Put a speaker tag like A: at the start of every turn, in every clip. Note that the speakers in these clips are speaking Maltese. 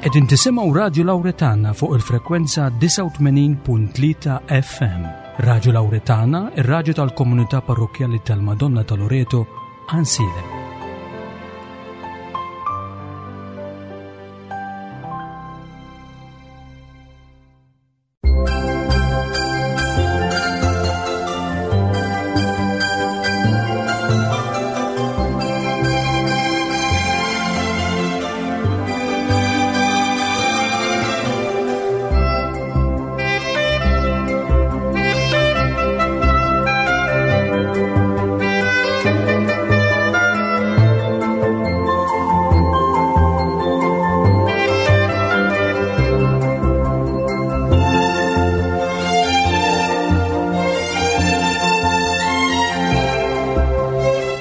A: Qegħdin tisimgħu Radju Lawretana fuq il-frekwenza 89.3 FM. Radju Lawretana, ir-radju tal-komunità parrokkjali tal-Madonna ta' Loreto, Ansilem.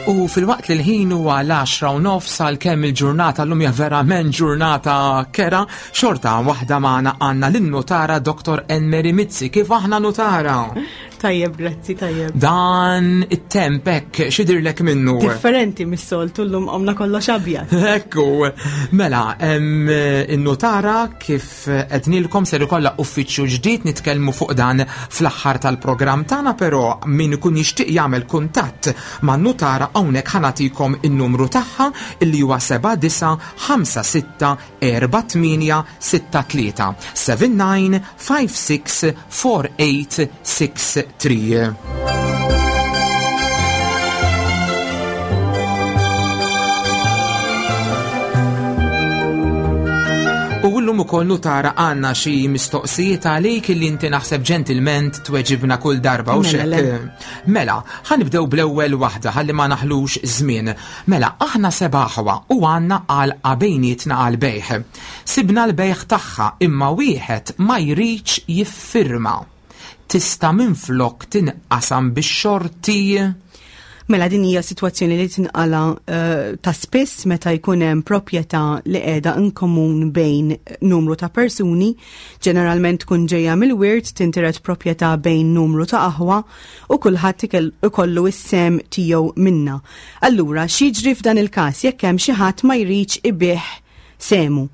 B: U fil-waqt li l-ħin huwa l-10 u nofs għal kemm il-ġurnata llum hija verament ġurnata kera, xorta waħda magħna għandna lin-nutara Dr. Enmeri Mizzi. Kif aħna nutara?
C: Tajjeb, grazzi, tajjeb.
B: Dan it-temp hekk x'idirlek minnu?
C: Differenti mis-soltu llum għamna kollox abjad.
B: Ekku, mela, in-nutara kif qednilkom ser ikollha uffiċċju ġdid nitkellmu fuq dan fl-aħħar tal-programm tagħna, però min ikun jixtieq jagħmel kuntatt man-nutara hawnhekk ħa nagħtikom in-numru tagħha illi huwa 7 9 5 6 4 8 6 3 7 9 5 6 4 8 6 3. U llum ukoll nutara għandna xi mistoqsijiet għalik illi inti naħseb ġentilment tweġibna kull darba u
C: Mela, le.
B: xek. Mela, ħanibdew bl-ewwel waħda ħalli ma naħlux żmien. Mela, aħna seba' aħwa u għandna għalqa bejnietna għall-bejgħ. Sibna l-bejgħ tagħha imma wieħed ma jridx jiffirma. Tista' minflok tinqasam bix-xorti?
C: Mela din hija sitwazzjoni li tinqala eh, ta' spiss meta jkun hemm proprjetà li qiegħda in komun bejn numru ta' persuni, ġeneralment tkun ġejja mill-wirt tintiret proprjetà bejn numru ta' aħwa u kulħadd ikollu s-sehem tiegħu minnha. Allura, x'jiġri f'dan il-każ jekk hemm xi ħadd ma jridx ibigħ sehmu?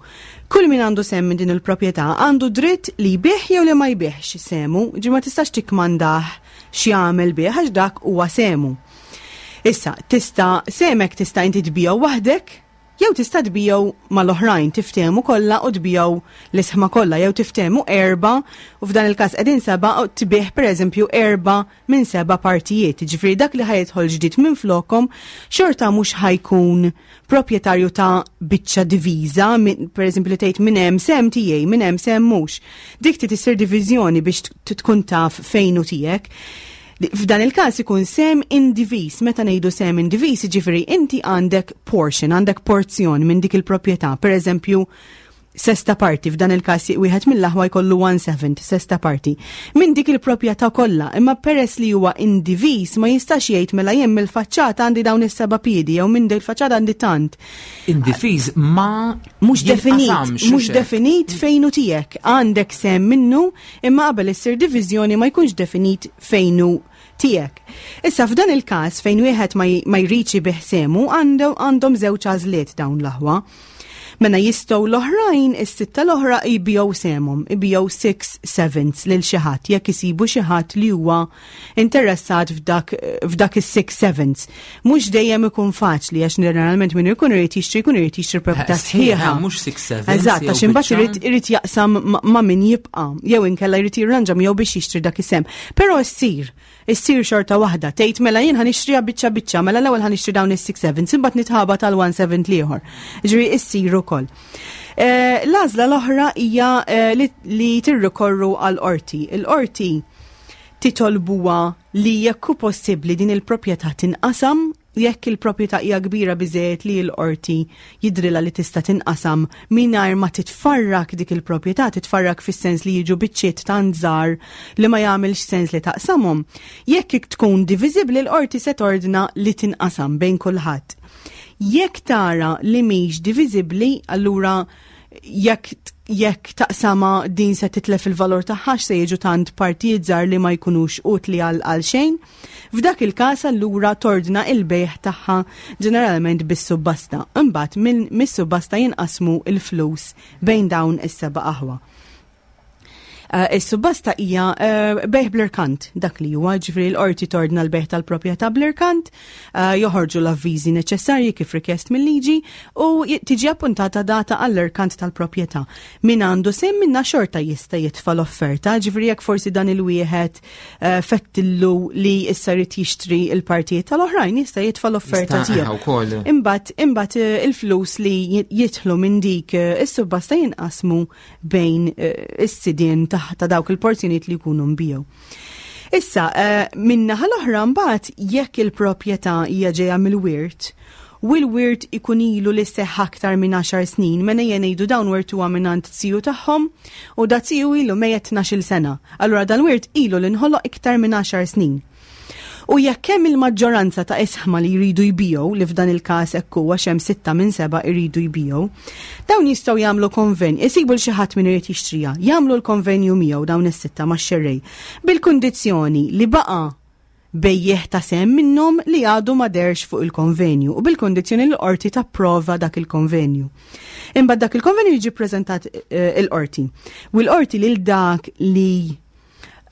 C: Kull min għandu sehem minn din il-proprjetà għandu dritt li jbigħ jew li ma jbigħx sehmu, ġi ma tistax tikkmandah x'jagħmel bih għax dak huwa sehmu. Issa, tista' sehmek tista' inti tbigħu waħdek jew tista' tbigħu mal-oħrajn, tiftehmu kollha u tbigħu l-isħma kollha, jew tiftehmu 4 u f'dan il-każ qegħdin 7 u tbigħ pereżempju 4 minn 7 partijiet. Jiġifieri dak li ħa jidħol ġdid minn flokom xorta mhux ħajkun proprjetarju ta' biċċa diviża, pereżempju li tgħid minn hemm sehem tiegħi, minn hemm sehem mhux. Dik trid issir diviżjoni biex tkun taf fejn hu tiegħek. F'dan il-każ ikun sehem indiviż. Meta ngħidu sehem indiviż, jiġifieri inti għandek portion, għandek porzjon minn dik il-proprjetà. Per eżempju, sesta parti, f'dan il-każ wieħed mill-aħwa jkollu 1/7, sesta parti. Minn dik il-proprjetà kollha, imma peress li huwa indiviż ma jistax jgħid mela jien mill-faċċata għandi dawn is-seba' piedi jew minn dik il-faċċata għandi tant.
B: Indiviż ma
C: Mhux definit,
B: jinqasamx,
C: mhux
B: hekk.
C: definit fejn hu tiegħek. Għandek sehem minnu, imma qabel issir diviżjoni ma jkunx definit fejn hu tiegħek. Issa f'dan il-każ fejn wieħed ma jridx ibigħ sehmu, għandhom żewġ għażliet dawn l-aħwa. Mela jistgħu l-oħrajn, is-sitta l-oħra jbigħu sehemhom, jbigħu 6 sevenths lil xi ħadd jekk isibu xi ħadd li huwa interessat f'dak is-6 sevenths. Mhux dejjem ikun faċli għax ġeneralment min ikun irid jixtri jkun irid jixtri proprjetà
B: Sħiħa,
C: sħiħa.
B: mhux 6 sevenths
C: Eżatt,
B: jew
C: għax imbagħad
B: biċċa.
C: irid jaqsam ma' min jibqa' jew inkella jrid jirranġa miegħu biex jixtri dak is-sehem. Però issir xorta waħda, tgħid mela jien ħanixtriha biċċa biċċa, mela l-ewwel ħanixtri dawn is-6 sevenths, imbagħad nitħaba tal-1 seventh l-ieħor. Ġifieri issir ukoll. L-għażla l-oħra hija li tirrikorru għall-qorti. Il-qorti titolbuha li jekk hu possibbli din il-proprjetà tinqasam, jekk il-proprjetà hija kbira biżejjed li l-qorti jidrilha li tista' tinqasam mingħajr ma titfarrak dik il-proprjetà, titfarrak fis-sens li jiġu biċċiet tant żgħar li ma jagħmilx sens li taqsamhom. Jekk tkun diviżibbli l-qorti se tordna li tinqasam bejn kulħadd. Jekk tara li mhix diviżibbli, allura jekk taqsama din se titlef il-valur tagħha se jiġu tant partijiet żgħar li ma jkunux utli għal xejn. F'dak il-każ allura tordna il-bejgħ tagħha ġeneralment bis-subbasta. Imbagħad mis-subbasta jinqasmu il-flus bejn dawn is-seba' aħwa. Is-subbasta hija bejgħ bl-irkant, dak li huwa, ġifieri l-qorti tordna l-bejgħ tal-proprjetà bl-irkant, joħorġu l-avviżi neċessarji kif rikjest mill-liġi u tiġi appuntata data għall-irkant tal-proprjetà. Min għandu sehem minna xorta jista' jitfa' l-offerta, ġifieri jekk forsi dan il-wieħed fettillu li issa jrid jixtri l-partijiet tal-oħrajn jista' jitfa' l-offerta tiegħu. Imbagħad il-flus li jidħlu minn dik is-subbasta jinqasmu bejn is-sidien ta' dawk il-porzjonijiet li jkunu nbiegħu. Issa, min-naħa l-oħra mbagħad jekk il-proprjetà hija ġejja mill-wirt, u l-wirt ikun ilu li seħħ aktar minn 10 snin, mela ejja ngħidu dawn wirtuha mingħand ziju tagħhom u da ziju ilu mejjet 12-il sena. Allura dal-wirt ilu li nħoloq iktar minn 10 snin. U jekk hemm il-maġġoranza ta' isħma li jridu jbigħu, li f'dan il-każ hekk hu għax hemm 6 minn 7 jridu jbigħu, dawn jistgħu jagħmlu konven, isibu l xi ħadd min irid jixtriha, jagħmlu l-konvenju miegħu dawn is-sitta max-xerrej, bil-kundizzjoni li baqa' bejjiegħ ta' sehem minnhom li għadu ma dehrx fuq il-konvenju u bil-kundizzjoni li l-qorti tapprova dak il-konvenju. Imbagħad dak il-konvenju jiġi ppreżentat il-qorti. U l-qorti lil dak li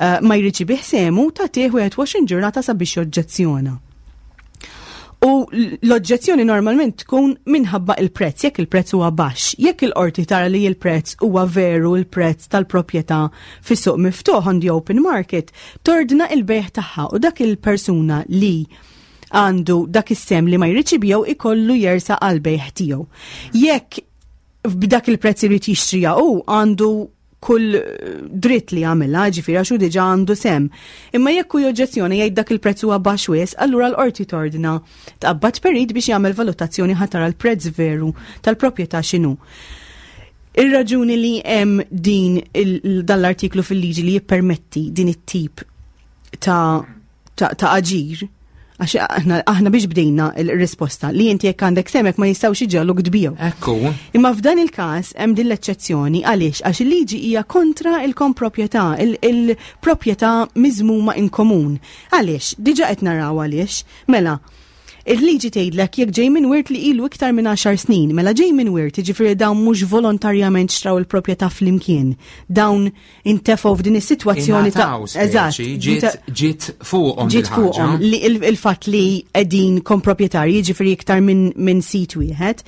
C: ma jridx ibigħ sehmu tagħtih 21 ġurnata sabiex joġġezzjona. U l-oġġezzjoni normalment tkun minħabba il-prezz, jekk il-prezz huwa baxx. Jekk il-qorti tara li il-prezz huwa veru il-prezz tal-proprjetà fis-suq miftuħ on the open market, tordna il-bejgħ tagħha u dak il-persuna li għandu dak is-sehem li ma jridx ibigħu ikollu jersa għal bejgħ tiegħu. Jekk b'dak il-prezz irid jixtriha hu għandu kull dritt li jagħmilha, ġifieri għax hu diġà għandu sehem. Imma jekk hu joġġezzjoni jgħid dak il-prezz huwa baxx wisq, allura l-qorti tordna tqabbad perit biex jagħmel valutazzjoni ħa tara l-prezz veru tal-proprjetà x'inhu. Ir-raġuni li hemm din dan l-artiklu fil-liġi li jippermetti din it-tip ta' ta' aġir, għax aħna biex bdejna il-risposta li inti jekk għandek semek ma jistgħux iġegħluk tbigħu.
B: Ekku.
C: Imma f'dan il-każ hemm din l-eċċezzjoni għaliex għax il-liġi hija kontra il-komproprjetà, il-proprjetà miżmuma in komun. Għaliex? Diġà qed naraw għaliex. Mela, il-liġi tgħidlek jekk ġej minn wirt li ilu iktar minn 10 snin, mela ġej minn wirt, jiġifieri dawn mhux volontarjament xtraw il-proprjetà flimkien. Dawn intefgħu f'din is-sitwazzjoni
B: ta' eżatt ġiet fuqhom
C: ġiet fuqhom li il-fatt li qegħdin komproprjetarji jiġifieri iktar minn sit wieħed.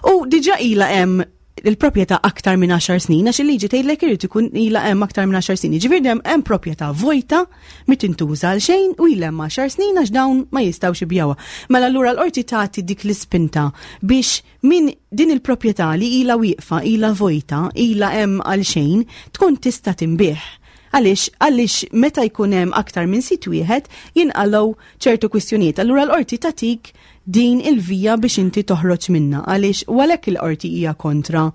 C: U diġà ilha hemm il-proprjetà aktar minn 10 snin, għax il-liġi tgħidlek irid ikun ilha hemm aktar minn 10 snin. Jiġifieri hemm hemm proprjetà vojta mi tintuża għal xejn u ilha hemm 10 snin għax dawn ma jistgħux ibigħuha. Mela allura l-qorti tagħti dik l-ispinta biex Min din il-proprjetà li ilha wieqfa, ilha vojta, ilha hemm għal xejn, tkun tista' tinbiegħ. Għaliex? Għaliex meta jkun hemm aktar minn sit wieħed jinqalgħu ċertu kwistjonijiet. Allura l-qorti tagħtik din il-vija biex inti toħroġ minnha. Għaliex u għalhekk il-qorti hija kontra,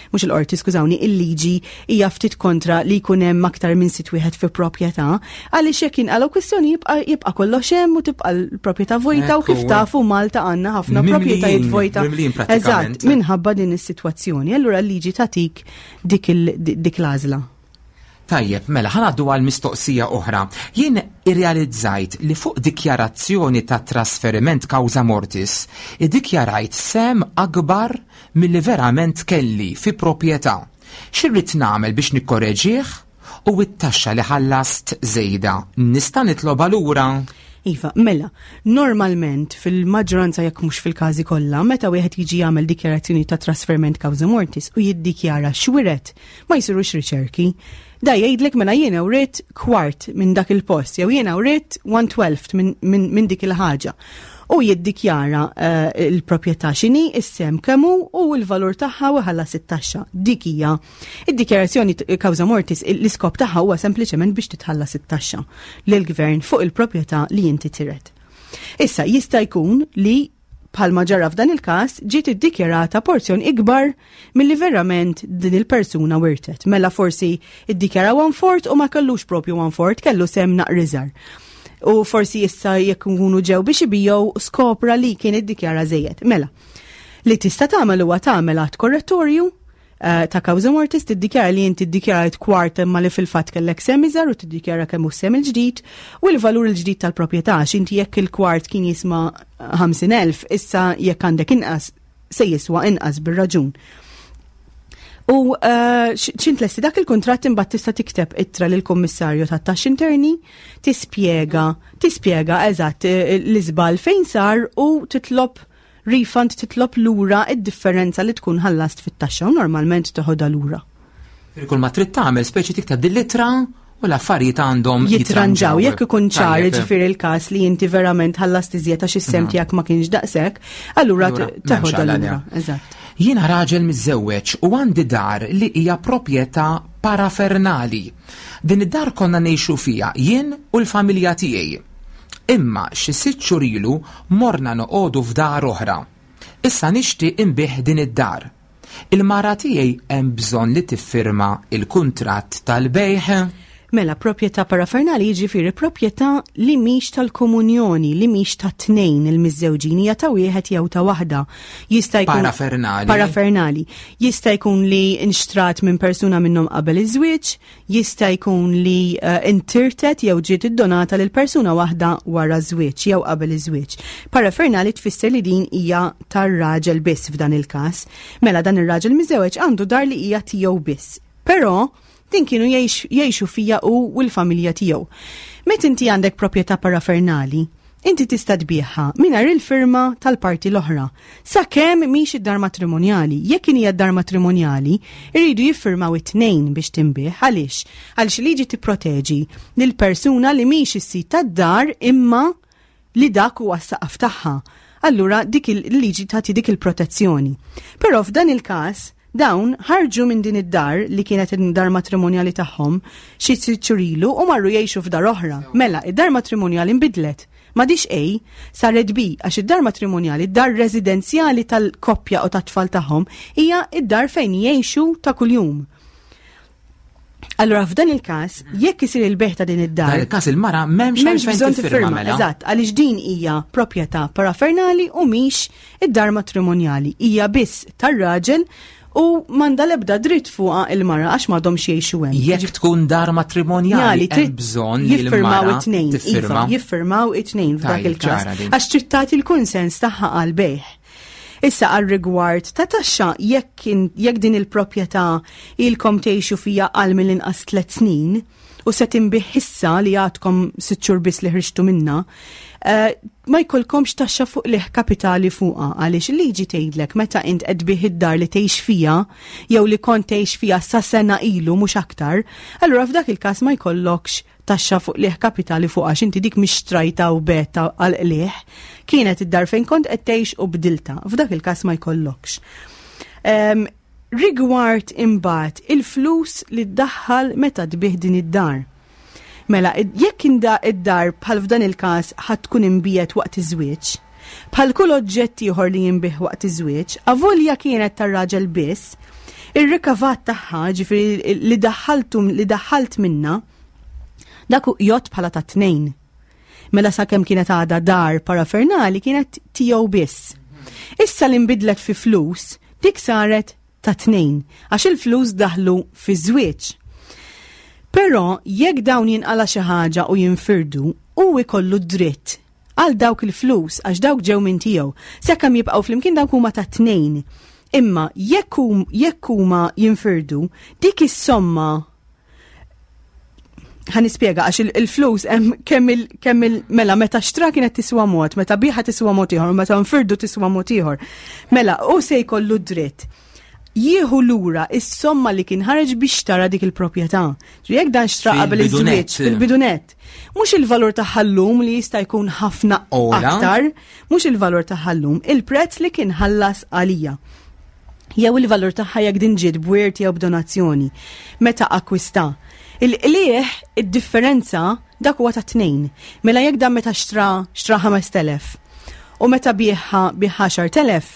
C: mhux il-qorti, skużawni, il-liġi hija ftit kontra li jkun hemm aktar minn sit wieħed fi proprjetà, għaliex jekk jinqalgħu kwistjoni jibqa' kollox hemm u tibqa' l-proprjetà vojta u kif tafu Malta għandna ħafna proprjetajiet vojta. Eżatt, minħabba din is-sitwazzjoni. Allura l-liġi tagħtik dik l-għażla.
B: Tajjeb, mela ħa ngħaddu għal mistoqsija oħra. Jien irrealizzajt li fuq dikjarazzjoni ta' trasferiment causa mortis, iddikjarajt sehem akbar milli verament kelli fi proprjetà. X'irrid nagħmel biex nikkoreġih u t-taxxa li ħallast żejda nista' nitlobha lura?
C: Iva, mela, normalment fil-maġġoranza jekk mhux fil-każi kollha, meta wieħed jiġi jagħmel dikjarazzjoni ta' trasferiment causa mortis u jiddikjara x'wiret, ma jsirux riċerki. Da jgħidlek mela jiena writ kwart minn dak il-post, jew jiena writ 1/12 minn dik il-ħaġa. U jiddikjara l-proprjetà x'inhi, is-sehem kemm hu u l-valur tagħha u jħallas it-taxxa. Dik hija id-dikjarazzjoni causa mortis, l-iskop tagħha huwa sempliċement biex titħallas it-taxxa lill-gvern fuq il-proprjetà li inti tiret. Issa jista' jkun li bħalma ġara f'dan il-każ, ġiet iddikjarata porzjon ikbar milli verament din il-persuna wirtet. Mela forsi iddikjara one fourth u ma kellux propju one fourth, kellu sehem naqriżar. U forsi issa jekk nkunu ġew biex ibijow skopra li kien iddikjara żejjed. Mela, li tista' tagħmel huwa tagħmel att korrettorju. ta' causa mortis tiddikjara li inti ddikjarajt kwart imma li fil-fatt kellek sehem iżgħar u tiddikjara kemm hu sehem il-ġdid u l-valur il-ġdid tal-proprjetà għax inti jekk il-kwart kien jisma' 50,000 issa jekk għandek inqas se jiswa inqas bir-raġun. U eh, xint lesti dak il-kuntratt imbagħad tista' tikteb ittra lill-Kummissarju tat-Taxxi Interni tispjega tispjega eżatt eh, l-iżball fejn sar u titlob refund titlob lura id-differenza li tkun ħallast fit-taxxa u normalment teħodha lura.
B: Kull ma trid tagħmel speċi tikteb din l-ittra u l-affarijiet għandhom
C: jitranġaw. Jekk ikun ċar ġifieri il-każ li inti verament ħallast iżjed għax is-sem mhm. tiegħek ma kienx daqshekk, allura teħodha lura. Eżatt.
B: Jiena raġel miżżewweġ u għandi dar li hija proprjetà parafernali. Din id-dar konna ngħixu fiha jien u l-familja tiegħi. Imma xi sitt xhur ilu morna noqogħdu f'dar oħra. Issa nixtieq inbigħ din id-dar. Il-mara tiegħi hemm bżonn li tiffirma l-kuntratt tal-bejgħ?
C: Mela, proprjetà parafernali jiġifieri proprjetà li mhix tal-komunjoni, li mhix ta' tnejn il-miżżewġin, hija ta' wieħed jew ta' waħda. Jista' jkun
B: Parafernali.
C: Parafernali. Jista' jkun li nxtrat minn persuna minnhom qabel iż-żwieġ, Jista' jkun li eh, intirtet jew ġiet iddonata lil persuna waħda wara żwieġ jew qabel iż-żwieġ. Parafernali tfisser li din hija tar-raġel biss f'dan il-każ. Mela dan ir-raġel miżewġ għandu dar li hija tiegħu biss. Però din kienu jgħixu fija u l-familja tiegħu. Meta inti għandek proprjetà parafernali, Inti tista' tbigħha mingħajr il-firma tal-parti l-oħra, sakemm mhix id-dar matrimonjali. Jekk inhi d-dar matrimonjali, iridu jiffirmaw it-tnejn biex tinbiegħ. Għaliex? Għaliex il-liġi tipproteġi lill-persuna li mhix is-sid tad-dar imma li dak huwa s-saqaf tagħha. Allura dik il-liġi tagħti dik il-protezzjoni. Però f'dan il-każ, Dawn ħarġu minn din id-dar li kienet id-dar matrimonjali tagħhom xi sitt xhur ilu u marru jgħixu f'dar oħra. Mela, id-dar matrimonjali nbidlet. M'għadhiex A, saret B għax id-dar matrimonjali, id-dar residenzjali tal-koppja u tat-tfal tagħhom hija id-dar fejn jgħixu ta' kuljum. Allura f'dan il-każ, jekk isir il-beħ ta' din id-dar.
B: Dan il-każ il-mara m'hemmx
C: m'hemmx bżonn tiffirma, mela. Eżatt, għaliex din hija proprjetà parafernali u mhix id-dar matrimonjali. Hija biss tar-raġel u manda lebda dritt fuqha il-mara għax m'għadhomx jgħixu hemm.
B: Jekk tkun dar matrimonjali hemm bżonn li
C: jiffirmaw it-tnejn. Iva, jiffirmaw it-tnejn f'dak il-każ. Għax trid tagħti l-kunsens tagħha għal bejħ. Issa għal rigward ta' taxxa jekk jekk din il-proprjetà ilkom tgħixu fija għal mill-inqas tliet snin u se tinbih issa li għadkom sitt xhur biss li ħriġtu minna, eh, ma jkollkomx taxxa fuq liħ kapitali fuqha għaliex il-liġi tgħidlek meta int qed tbih id-dar li tgħix fija jew li kont tgħix fija sa sena ilu mhux aktar, allura f'dak il-każ ma jkollokx taxxa fuq qligħ kapitali fuq għax inti dik mhix xtrajta u beta għal qligħ, kienet id-dar fejn kont qed tgħix u bdilta. F'dak il-każ ma jkollokx. Um, rigward imbagħad il-flus li ddaħħal meta tbih din id-dar. Mela, jekk inda id-dar bħal f'dan il-każ ħadd tkun imbiet waqt iż-żwieġ, bħal kull oġġett ieħor li jinbih waqt iż-żwieġ, avolja kienet tar-raġel biss, ir-rikavat tagħha, ġifieri li daħħaltu li daħħalt minna, dak jgħodd bħala ta' tnejn. Mela sakemm kienet għadha dar parafernali kienet tiegħu biss. Issa li nbidlet fi flus, dik saret ta' tnejn, għax il-flus daħlu fi żwieġ. Però jekk dawn jinqala xi ħaġa u jinfirdu, hu jkollu dritt għal dawk il-flus għax dawk ġew minn tiegħu. Sakemm jibqgħu flimkien dawk huma ta' tnejn. Imma jekk jekk huma jinfirdu, dik is-somma ħa nispjega għax il-flus hemm kemm il kemm il mela meta xtra kienet tiswa mod, meta biħa tiswa mod ieħor, meta nfirdu tiswa mod ieħor. Mela u se jkollu dritt jieħu lura is-somma li kien ħareġ biex tara dik il-proprjetà. Jekk dan xtra qabel iż-żwieġ fil-bidunet. Mhux il-valur tagħha llum li jista' jkun ħafna aktar, mhux il-valur tagħha llum, il-prezz li kien ħallas għalija. Jew il-valur tagħha jekk din ġiet b'wirt jew b'donazzjoni. Meta akkwista. Il-qliegħ, id-differenza, dak huwa ta' tnejn. Mela jekk dan meta xtra xtra 5000 u meta biegħha biegħha 10,000,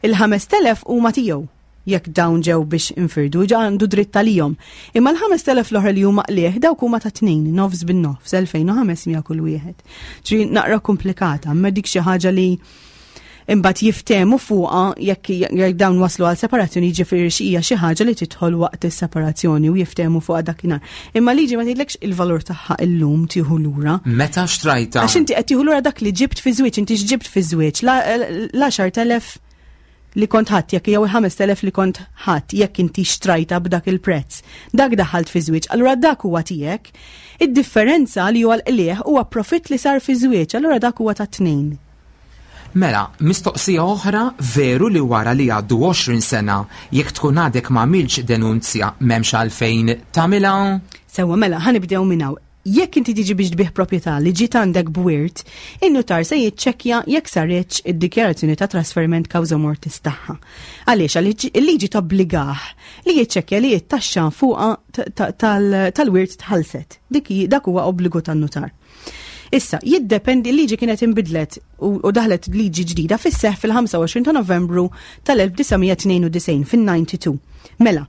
C: il-5000 huma tiegħu jekk dawn ġew biex infirdu, ġa għandu dritt għalihom. Imma l-5000 l-oħra li huma qliegħ dawk huma ta' tnejn, nofs bin-nofs, 2500 kull wieħed. Ġri naqra komplikata, imma dik xi ħaġa li Imbagħad jiftehmu fuqha jekk dawn waslu għal separazzjoni jiġifieri xi hija xi ħaġa li tidħol waqt is-separazzjoni u jiftehmu fuqha dakinhar. Imma liġi ma tgħidlekx il-valur tagħha illum tieħu lura.
B: Meta xtrajta?
C: Għax inti qed tieħu lura dak li ġibt fi żwieġ, inti x'ġibt fi żwieġ, l-10,000 li kont ħadd jekk jew il-5,000 li kont ħadd jekk inti xtrajta b'dak il-prezz. Dak daħalt fi żwieġ, allura dak huwa tiegħek. Id-differenza li huwa l-qligħ huwa profitt li sar fi żwieġ, allura dak huwa tat-tnejn.
B: Mela, mistoqsija oħra, veru li wara li jgħaddu 20 sena, jekk tkun għadek ma għamiltx denunzja m'hemmx għalfejn tagħmilha?
C: Sewwa, mela, ħa nibdew minn hawn. Jekk inti tiġi biex tbigħ proprjetà li ġiet għandek b'wirt, in-nutar se jiċċekkja jekk saritx id-dikjarazzjoni ta' trasferiment causa mortis tagħha. Għaliex? Għaliex il-liġi tobbligah li jiċċekkja li t-taxxa fuqha tal-wirt tħallset. Dik dak huwa obbligu tan-nutar. Issa, jiddependi l-liġi kienet inbidlet u daħlet liġi ġdida fis-seħ fil-25 ta' Novembru tal-1992 fin-92. Mela,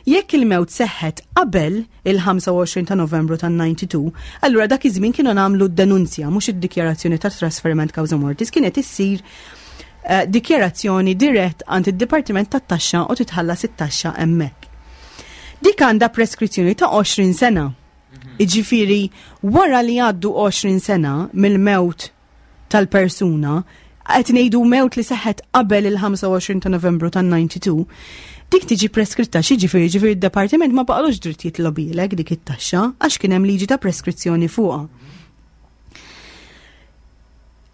C: jekk il-mewt seħħet qabel il-25 ta' Novembru tan-92, allura dak iż-żmien kienu nagħmlu d-denunzja mhux id-dikjarazzjoni ta' trasferiment causa mortis kienet issir eh, dikjarazzjoni dirett għand id-Dipartiment tat-Taxxa u titħallas it-taxxa hemmhekk. Dik għandha preskrizzjoni ta' 20 sena. Iġifieri, wara li jgħaddu 20 sena mill-mewt tal-persuna, qed ngħidu mewt li seħħet qabel il-25 ta' Novembru tan-92, dik tiġi preskritta xi ġifieri ġifieri d-departiment ma baqalux dritt jitlobilek dik it-taxxa għax kien hemm liġi ta' preskrizzjoni fuqha.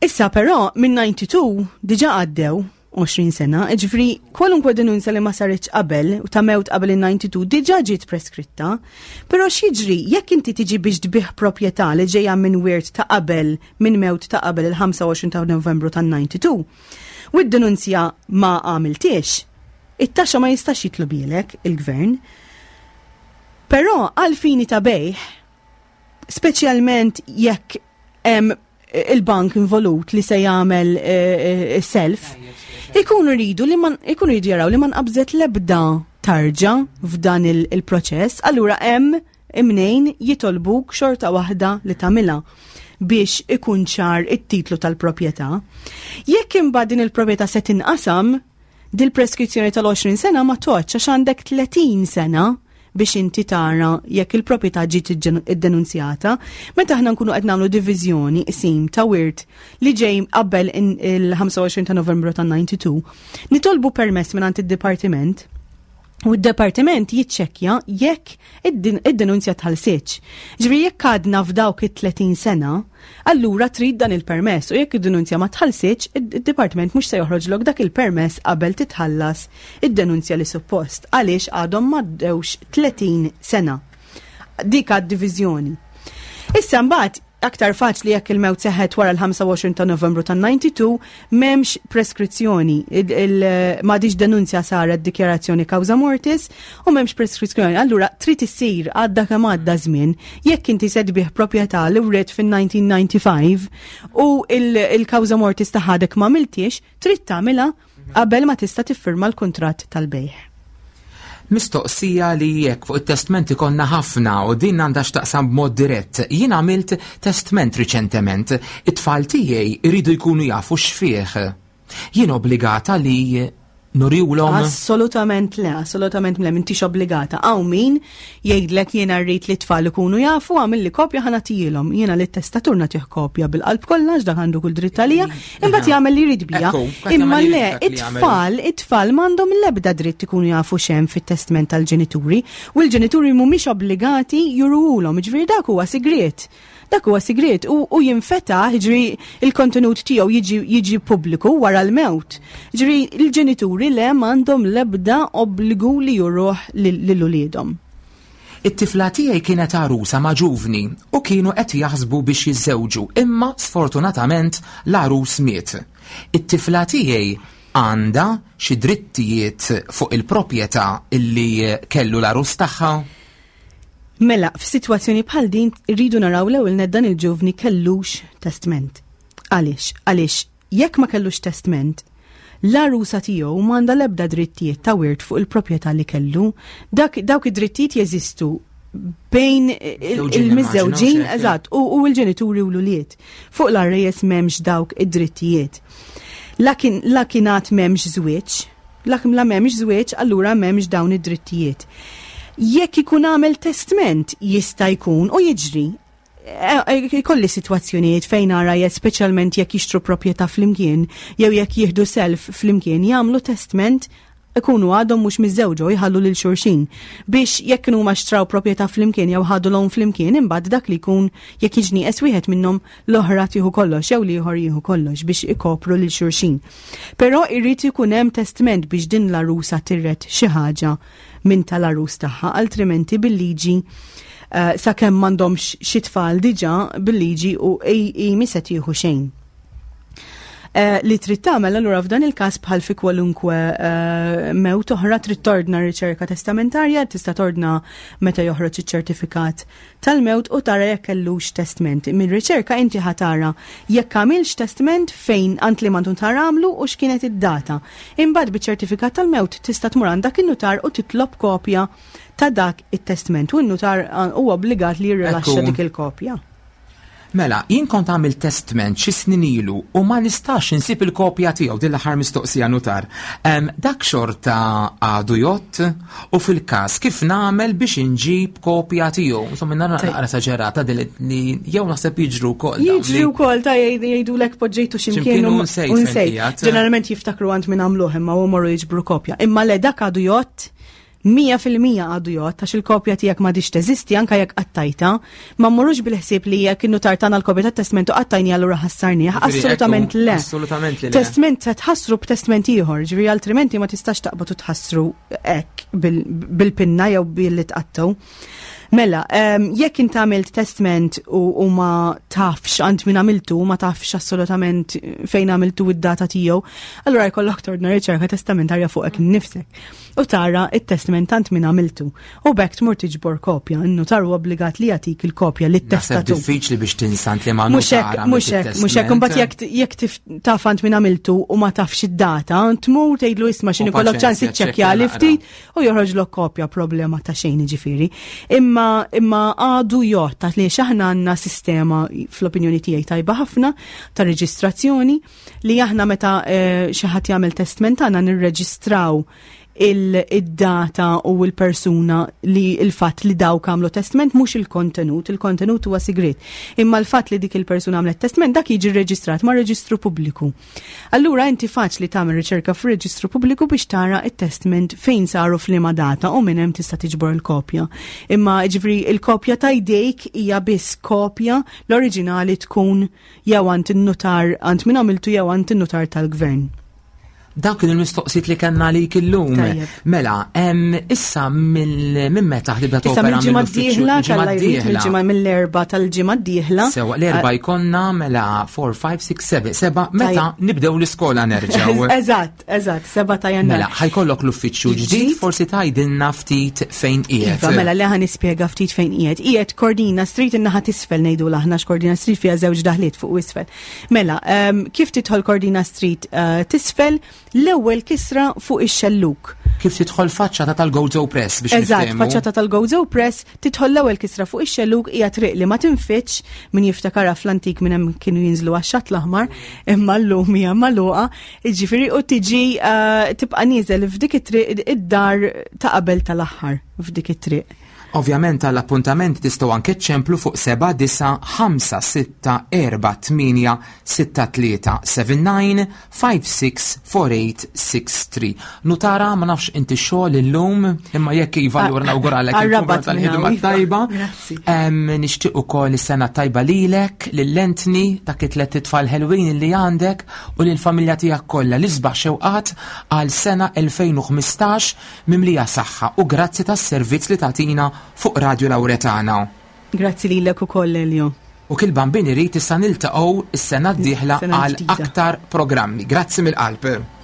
C: Issa però minn 92 diġà għaddew 20 sena, ġifri kwalunkwe denunzja li ma saritx qabel u ta' mewt qabel il-92 diġà ġiet preskritta, però x'jiġri jekk inti tiġi biex tbigħ proprjetà li ġejja minn wirt ta' qabel minn mewt ta' qabel il-25 ta' Novembru tan-92 u d-denunzja ma għamiltiex, it-taxxa ma jistax jitlobielek il-gvern. Però għal fini ta' bejħ, speċjalment jekk hemm il-bank involut li se jagħmel eh, eh, self, ikunu rridu li man ikunu rridu jaraw li ma nqabżet l-ebda tarġa f'dan il-proċess, allura hemm imnejn jitolbuk xorta waħda li tagħmilha biex ikun ċar it-titlu tal-proprjetà. Jekk imbagħad din il-proprjetà se tinqasam, dil-preskrizzjoni tal-20 sena ma toċ għax għandek 30 sena biex inti tara jekk il-proprjetà ġiet iddenunzjata. Meta aħna nkunu qed nagħmlu diviżjoni qsim ta' wirt li ġej qabel il-25 ta' Novembru ta' 92, nitolbu permess mingħand id-dipartiment u d-departiment jiċċekkja jekk id-denunzja tħallsitx. Ġifieri jekk għadna f'dawk it-30 sena, allura trid dan il-permess u jekk id-denunzja ma tħallsitx, id-dipartiment mhux se joħroġlok dak il-permess qabel titħallas id-denunzja li suppost għaliex għadhom m'għaddewx 30 sena. Dik għad-diviżjoni. Issa mbagħad aktar faċli jekk il-mewt seħħet wara l-25 ta' Novembru tan-92 m'hemmx preskrizzjoni. M'għadix denunzja saret dikjarazzjoni causa mortis u m'hemmx preskrizzjoni. Allura trid issir għadda kemm għadda żmien jekk inti se tbigħ proprjetà li wriet fin-1995 u il-causa mortis ta' ħadek ma għamiltiex, trid tagħmilha qabel ma tista' tiffirma l-kuntratt tal-bejgħ.
B: Mistoqsija li jekk fuq it-testment ikollna ħafna u din għandha x'taqsam b'mod dirett. Jien għamilt testment riċentement. It-tfal tiegħi jridu jkunu jafu x'fih. Jien obbligata li nuriwlhom?
C: Assolutament le, assolutament le, m'intix obbligata. Hawn min jgħidlek jiena rrid li t-tfal ikunu jafu, għamilli kopja ħa nagħtihilhom. Jiena li testatur nagħtih kopja bil-qalb kollha għax dak għandu kull dritt għalija, imbagħad jagħmel li jrid bija. Imma le, it-tfal, it-tfal m'għandhom l-ebda dritt ikunu jafu x'hemm fit-testment tal-ġenituri u l-ġenituri mhumiex obbligati juruhulhom, jiġifieri dak huwa sigriet. Dak huwa sigriet u, u jinfetaħ, jiġifieri il-kontenut tiegħu jiġi, jiġi pubbliku wara l-mewt. Jiġifieri l-ġenituri le m'għandhom l-ebda obbligu li juruh lil uliedhom.
B: It-tifla tiegħi kienet għarusa ma' ġuvni u kienu qed jaħsbu biex jiżżewġu imma sfortunatament l-għarus miet. It-tifla tiegħi għandha xi drittijiet fuq il-proprjetà li kellu l-għarus tagħha?
C: Mela, f'sitwazzjoni bħal din irridu naraw l-ewwel nett dan il-ġuvni kellux testment. Għaliex? Għaliex jekk ma kellux testment, l-għarusa tiegħu m'għandha l-ebda drittijiet ta' wirt fuq il-proprjetà li kellu. Dak, dawk id-drittijiet jeżistu bejn il-miżżewġin, eżatt, u l-ġenituri u l-ulied. Fuq l-għarejjes m'hemmx dawk id-drittijiet. La kien la kien għad m'hemmx żwieġ, la la m'hemmx żwieġ allura m'hemmx dawn id-drittijiet. Jekk ikun għamel testment jista' jkun u jiġri Ikolli sitwazzjonijiet fejn nara jekk speċjalment jekk jixtru proprjetà flimkien jew jekk jieħdu self flimkien jagħmlu testment ikunu għadhom mhux miżżewġa u jħallu lil xulxin biex jekk kienu huma xtraw proprjetà flimkien jew ħadu loan flimkien imbagħad dak li jkun jekk jiġi nieqes wieħed minnhom l-oħra tieħu kollox jew l-ieħor jieħu kollox biex ikopru lil xulxin. Però jrid ikun hemm testment biex din l-għarusa tirret xi ħaġa minn tal-għarus tagħha altrimenti bil-liġi eh, sakemm m'għandhomx xi tfal diġà bil-liġi u i mi se tieħu xejn. Eh, li trid tagħmel allura f'dan il-każ bħal fi kwalunkwe eh, mewt oħra trid tordna riċerka testamentarja, tista' tordna meta joħroġ iċ-ċertifikat tal-mewt u tara jekk kellux testment. Mir-riċerka inti ħa tara jekk għamilx testment fejn għand liema nutar għamlu u x'kienet id-data. Imbagħad biċ-ċertifikat tal-mewt tista' tmur għand dak in-nutar u titlob kopja ta' dak it-testment u n-nutar huwa obbligat li jirrilaxxa dik il-kopja.
B: Mela, jien kont għamilt testment xi snin ilu u ma nistax insib il-kopja tiegħu din l-aħħar mistoqsija nutar. Dak xorta għadu jgħodd u fil-każ kif nagħmel biex inġib kopja tiegħu. Insomma nara naqra esaġerata din li jew naħseb jiġru wkoll.
C: Jiġri wkoll ta' jgħidulek poġġejtu x'imkien u nsejt. Ġeneralment jiftakru għand min għamluh imma u morru jiġbru kopja. Imma le dak għadu jgħodd 100% għadu jgħodd għax il-kopja tiegħek m'għadhiex teżisti anke jekk qattajtha. Ma mmorrux bil-ħsieb li jekk in-nutar tana l-kopja tat-testment u qattajni allura ħassarnih. Assolutament le.
B: Assolutament le.
C: Testment se tħassru b'testment ieħor, ġifieri altrimenti ma tistax taqbad u tħassru hekk bil-pinna jew billi tqattgħu. Mela, jekk int għamilt testment u ma tafx għand min għamiltu, ma tafx assolutament fejn għamiltu id-data tiegħu, allura jkollok tordna riċerka testamentarja fuqek innifsek. U tara it-testment tant min għamiltu. U b'hekk tmur tiġbor kopja, in-nutar huwa obbligat li jagħtik il-kopja li
B: t-testatu. Diffiċli biex tinsant li ma
C: mhux hekk, mhux hekk, mhux hekk, imbagħad jekk jekk taf għand min għamiltu u ma tafx id-data, tmur tgħidlu isma' x'inhi kollok ċans iċċekkja li ftit u joħroġlok kopja problema ta' xejn jiġifieri. Imma imma għadu jgħodd ta' li aħna għandna sistema fl-opinjoni tiegħi tajba ħafna ta' reġistrazzjoni li aħna meta eh, xi ħadd jagħmel testment tagħna nirreġistraw il-data u l-persuna li il-fatt li dawk għamlu testment mhux il-kontenut, il-kontenut huwa sigriet. Imma l-fatt li dik il-persuna għamlet testment dak jiġi rreġistrat ma' reġistru pubbliku. Allura inti faċli tagħmel riċerka fir-reġistru pubbliku biex tara it-testment fejn saru f'liema data u minn hemm tista' tiġbor il-kopja. Imma ġifri il-kopja ta' jdejk hija biss kopja l-oriġinali tkun jew għand in-nutar għand min għamiltu jew għand in-nutar tal-gvern.
B: Dawk kienu l-mistoqsijiet li kellna għalik illum. Mela, issa minn meta ħdibda
C: topera? Issa mill-ġimgħa d-dieħla, mill-ġimgħa mill-erba tal-ġimgħa d-dieħla.
B: Sewa, l-erba jkollna mela 4, 5, 6, 7, 7, meta nibdew l-iskola nerġgħu.
C: Eżatt, eżatt, 7 ta' jannar.
B: Mela, ħajkollok l-uffiċċju ġdid, forsi tgħidilna ftit fejn qiegħed.
C: Iva, mela li ħa nispjega ftit fejn qiegħed. Qiegħed Kordina Street in-naħa t'isfel ngħidu aħna x'Kordina Street fiha żewġ daħliet fuq u isfel. Mela, kif tidħol Cordina Street eh, tisfel l-ewwel kisra fuq ix-xelluk.
B: Kif tidħol faċċata tal-Gozo Press biex
C: Eżatt, faċċata tal-Gozo Press, tidħol l-ewwel kisra fuq ix-xelluk hija triq li ma tinfitx min jiftakarha fl-antik minn hemm kienu jinżlu għax-xatt l-aħmar, imma llum hija magħluqa, jiġifieri u tiġi eh, tibqa' nieżel f'dik it-triq id-dar ta' qabel tal-aħħar f'dik it-triq.
B: Ovvjament għall appuntament tistgħu anke ċċemplu fuq 7 9 5 6 4 8 6 3 7 9 5 6 4 8 6 3. Nutara ma nafx inti xogħol illum imma jekk iva allura nawguralek il-kumra tal-ħidma iva. tajba. Nixtieq ukoll is-sena tajba lilek, lil Anthony, dak it-tlet itfal ħelwin li għandek u lill-familja tiegħek kollha l-isbaħ xewqat għal sena 2015 mimlija saħħa u grazzi tas-servizz li tagħtina fuq Radju Lauretana.
C: Grazzi lilek ukoll Elio.
B: U kil bambin irid issa niltaqgħu s-sena d-dieħla għal aktar programmi. Grazzi mill-qalb.